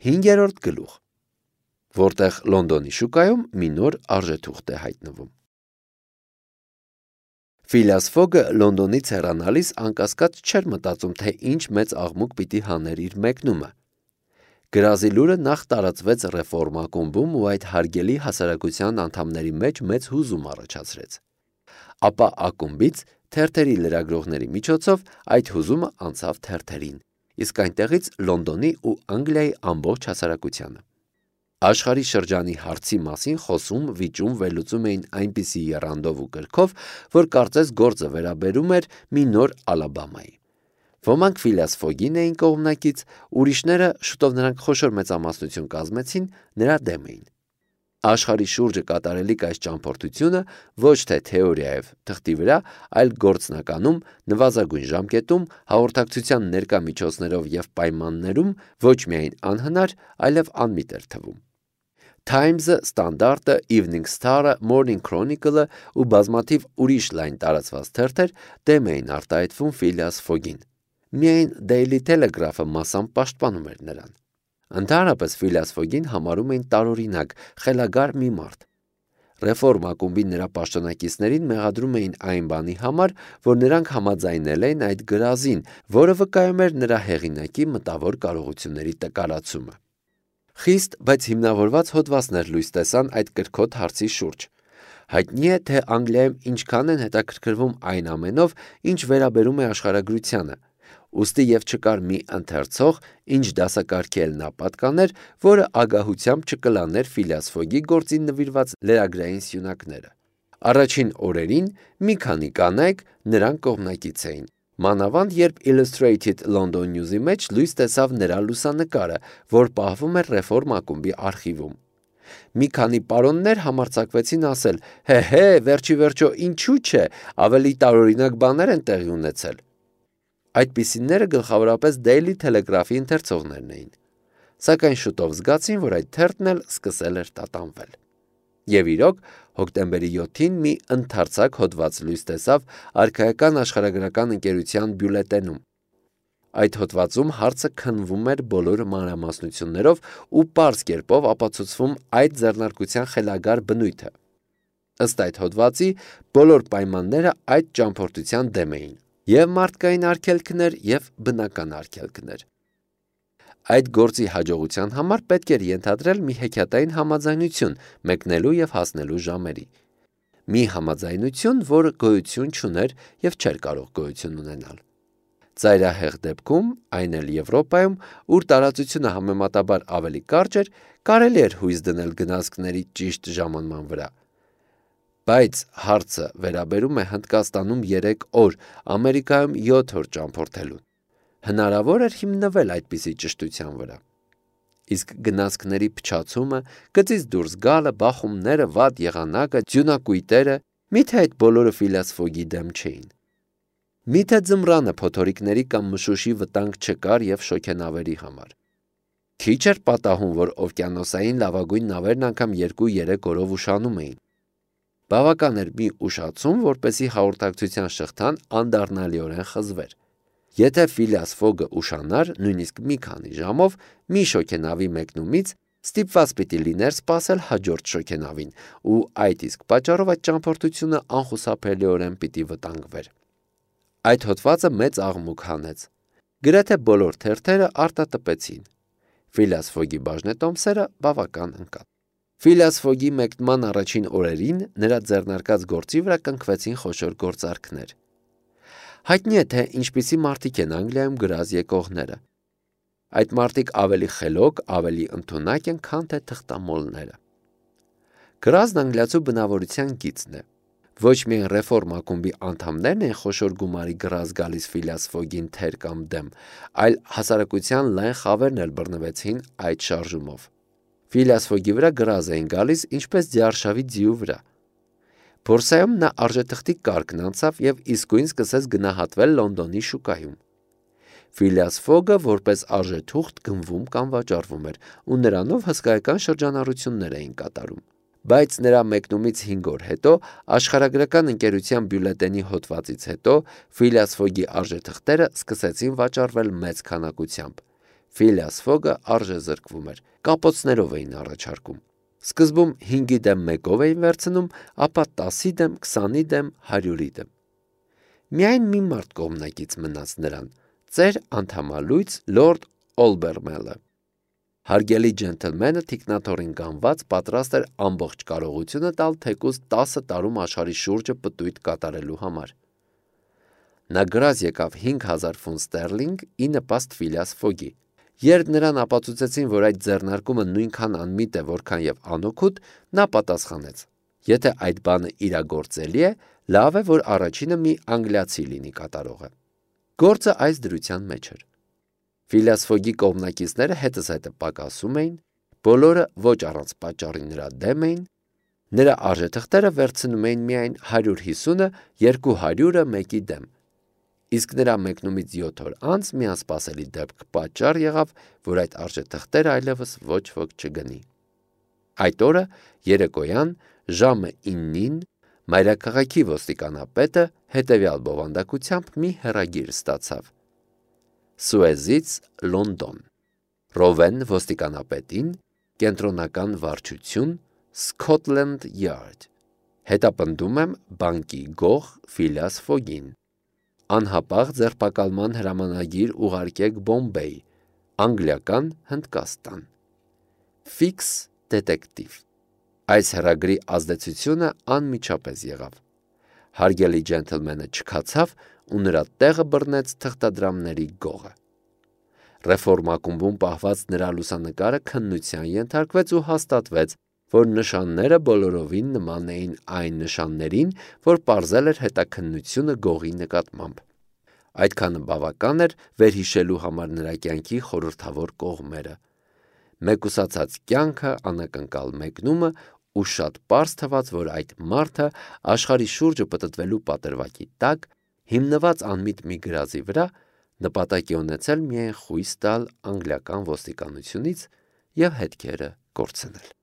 5-րդ գլուխ, որտեղ Լոնդոնի շուկայում մի նոր արժեթուղթ է հայտնվում։ Ֆիլիաս Ֆոգը Լոնդոնից հեռանալիս անկասկած չէր մտածում, թե ինչ մեծ աղմուկ պիտի հաներ իր մեկնումը։ Գրազի լուրը նախ տարածվեց Ռեֆորմ ակումբում ու այդ հարգելի հասարակության անդամների մեջ մեծ հուզում առաջացրեց։ Ապա ակումբից թերթերի լրագրողների միջոցով այդ հուզումը անցավ թերթերին, իսկ այնտեղից Լոնդոնի ու Անգլիայի ամբողջ հասարակությանը։ Աշխարհի շրջանի հարցի մասին խոսում, վիճում, վերլուծում էին այնպիսի եռանդով ու կրքով, որ կարծես գործը վերաբերում էր մի նոր Ալաբամայի։ Ոմանք Ֆիլիաս Ֆոգին էին կողմնակից, ուրիշները, շուտով նրանք խոշոր մեծամասնություն կազմեցին, նրա դեմ էին։ Աշխարհի շուրջը կատարելիք այս ճամփորդությունը ոչ թե թեորիայով թղթի վրա, այլ գործնականում, նվազագույն ժամկետում, հաղորդակցության ներկա միջոցներով եւ պայմաններում ոչ միայն անհնար, այլև անմիտ էր թվում։ Times-ը, Standard-ը, Evening Star-ը, Morning Chronicle-ը ու բազմաթիվ ուրիշ լայն տարածված թերթեր դեմ էին արտահայտվում Ֆիլիաս Ֆոգին։ Միայն Daily Telegraph-ը մասամբ պաշտպանում էր նրան։ Ընդհանրապես Ֆիլիաս Ֆոգին համարում էին տարօրինակ, խելագար մի մարդ։ Ռեֆորմ ակումբի նրա պաշտոնակիցներին մեղադրում էին այն բանի համար, որ նրանք համաձայնել էին այդ գրազին, որը վկայում էր նրա հեղինակի մտավոր կարողությունների տկարացումը։ Խիստ, բայց հիմնավորված հոդվածներ լույս տեսան այդ կրքոտ հարցի շուրջ։ Հայտնի է, թե Անգլիայում ինչքան են հետաքրքրվում այն ամենով, ինչ վերաբերում է աշխարհագրությանը, ուստի եւ չկար մի ընթերցող, ինչ դասակարգի էլ նա պատկաներ, որը ագահությամբ չկլաներ Ֆիլիաս Ֆոգի գործին նվիրված լրագրային սյունակները։ Առաջին օրերին մի քանի կանայք նրան կողմնակից էին, մանավանդ երբ Illustrated London News-ի մեջ լույս տեսավ նրա լուսանկարը, որ պահվում էր Ռեֆորմ ակումբի արխիվում։ Մի քանի պարոններ համարձակվեցին ասել. «Հե, վերջի վերջո ինչու՞ չէ, ավելի տարօրինակ բաներ են տեղի ունեցել»։ Այդպիսիները գլխավորապես Daily Telegraph-ի ընթերցողներն էին։ Սակայն շուտով զգացին, որ այդ թերթն էլ սկսել էր տատանվել։ Եվ իրոք, հոկտեմբերի 7-ին մի ընդարձակ հոդված լույս տեսավ Արքայական աշխարհագրական ընկերության բյուլետենում։ Այդ հոդվածում հարցը քննվում էր բոլոր մանրամասնություններով ու պարզ կերպով ապացուցվում այդ ձեռնարկության խելագար բնույթը։ Ըստ այդ հոդվածի, բոլոր պայմանները այդ ճամփորդության դեմ էին, եւ մարդկային արգելքներ, եւ բնական արգելքներ։ Այդ գործի հաջողության համար պետք էր ենթադրել մի հեքիաթային համաձայնություն մեկնելու եւ հասնելու ժամերի։ Մի համաձայնություն, որը գոյություն չուներ եւ չէր կարող գոյություն ունենալ։ Ծայրահեղ դեպքում, այն էլ Եվրոպայում, ուր տարածությունը համեմատաբար ավելի կարճ էր, կարելի էր հույս դնել գնացքների ճիշտ ժամանման վրա։ Բայց հարցը վերաբերում է Հնդկաստանում 3 օր, Ամերիկայում 7 օր ճամփորդելուն։ Հնարավոր էր հիմնվել այդպիսի ճշտության վրա։ Իսկ գնացքների փչացումը, գծից դուրս գալը, բախումները, վատ եղանակը, ձյունակույտերը, միթե այդ բոլորը Ֆիլիաս Ֆոգի դեմ չէին։ Միթե ձմռանը փոթորիկների կամ մշուշի վտանգ չկար եւ շոգենավերի համար։ Քիչ էր պատահում, որ օվկիանոսային լավագույն նավերն անգամ 2-3 օրով ուշանում էին։ Բավական էր մի ուշացում, որպեսզի հաղորդակցության շղթան անդառնալիորեն խզվեր։ Եթե Ֆիլիաս Ֆոգը ուշանար, նույնիսկ մի քանի ժամով, մի շոգենավի մեկնումից ստիպված պիտի լիներ սպասել հաջորդ շոգենավին, ու այդ իսկ պատճառով այդ ճամփորդությունը անխուսափելիորեն պիտի վտանգվեր։ Այդ հոդվածը մեծ աղմուկ հանեց։ Գրեթե բոլոր թերթերը արտատպեցին։ Ֆիլիաս Ֆոգի բաժնետոմսերը բավական ընկան։ Ֆիլիաս Ֆոգի մեկնման առաջին օրերին նրա ձեռնարկած գործի վրա կնքվեցին խոշոր գործարքներ։ Հայտնի է, թե ինչպիսի մարդիկ են Անգլիայում գրազ եկողները։ Այդ մարդիկ ավելի խելոք, ավելի ընդունակ են, քան թե թղթամոլները։ Գրազն անգլիացու բնավորության գիծն է։ Ոչ միայն Ռեֆորմ ակումբի անդամներն են խոշոր գումարի գրազ գալիս Ֆիլիաս Ֆոգին թեր կամ դեմ, այլ հասարակության լայն խավերն էլ բռնվեցին այդ շարժումով։ Ֆիլիաս Ֆոգի վրա գրազ էին գալիս ինչպես ձիարշավի ձիու վրա։ Բորսայում նա արժեթղթի կարգն անցավ եւ իսկույն սկսեց գնահատվել Լոնդոնի շուկայում։ Ֆիլիաս Ֆոգը որպես արժեթուղթ գնվում կամ վաճառվում էր ու նրանով հսկայական շրջանառություններ էին կատարում։ Բայց նրա մեկնումից 5 օր հետո աշխարհագրական ընկերության բյուլետենի հոդվածից հետո Ֆիլիաս Ֆոգի արժեթղթերը սկսեցին վաճառվել մեծ քանակությամբ։ Ֆիլիաս Ֆոգը արժեզրկվում էր, կապոցներով էին առաջարկում։ Սկզբում 5-ի դեմ 1-ով էին վերցնում, ապա 10-ի դեմ, 20-ի դեմ, 100-ի դեմ։ Միայն մի մարդ կողմնակից մնաց նրան՝ ծեր անդամալույց լորդ Օլբերմելը։ Հարգելի ջենթլմենը թիկնաթոռին գանված պատրաստ էր ամբողջ կարողությունը տալ թեկուզ 10 տարում աշխարհի շուրջը պտույտ կատարելու համար։ Նա գրած եկավ 5000 ֆունտ ստերլինգ ի նպաստ Ֆիլիաս Ֆոգի։ Երբ նրան ապացուցեցին, որ այդ ձեռնարկումը նույնքան անմիտ է, որքան եւ անօգուտ, նա պատասխանեց. Եթե այդ բանը իրագործելի է, լավ է, որ առաջինը մի անգլիացի լինի կատարողը։ Գործը այս դրության մեջ էր։ Ֆիլիաս Ֆոգի կողմնակիցները հետզհետե պակասում էին, բոլորը ոչ առանց պատճառի նրա դեմ էին, նրա արժեթղթերը վերցնում էին միայն 150-ը, 200-ը մեկի դեմ։ Իսկ նրա մեկնումից 7 օր անց մի անսպասելի դեպք պատճառ եղավ, որ այդ արժեթղթերը այլևս ոչ ոք չգնի։ Այդ օրը երեկոյան ժամը 9-ին մայրաքաղաքի ոստիկանապետը հետևյալ բովանդակությամբ մի հեռագիր ստացավ. Սուեզից Լոնդոն, Ռովեն ոստիկանապետին, կենտրոնական վարչություն, Scotland Yard, հետապնդում եմ բանկի գող Ֆիլիաս Ֆոգին, անհապաղ ձերբակալման հրամանագիր ուղարկեք Բոմբեյ, անգլիական Հնդկաստան, Fix դետեկտիվ։ Այս հեռագրի ազդեցությունը անմիջապես եղավ։ Հարգելի ջենթլմենը չքացավ ու նրա տեղը բռնեց թղթադրամների գողը։ Ռեֆորմակումբում պահված նրա լուսանկարը քննության ենթարկվեց ու հաստատվեց, որ նշանները բոլորովին նման էին այն նշաններին, որ պարզել էր հետաքննությունը գողի նկատմամբ։ Այդքանը բավական էր վերհիշելու համար նրա կյանքի խորհրդավոր կողմերը։ Մեկուսացած կյանքը, անակնկալ մեկնումը ու շատ պարզ թվաց, որ այդ մարդը աշխարհի շուրջը պտտվելու պատրվակի տակ, հիմնված անմիտ մի գրազի վրա, նպատակ է ունեցել միայն խույս տալ անգլիական ոստիկանությունից և հետքերը կորցնել։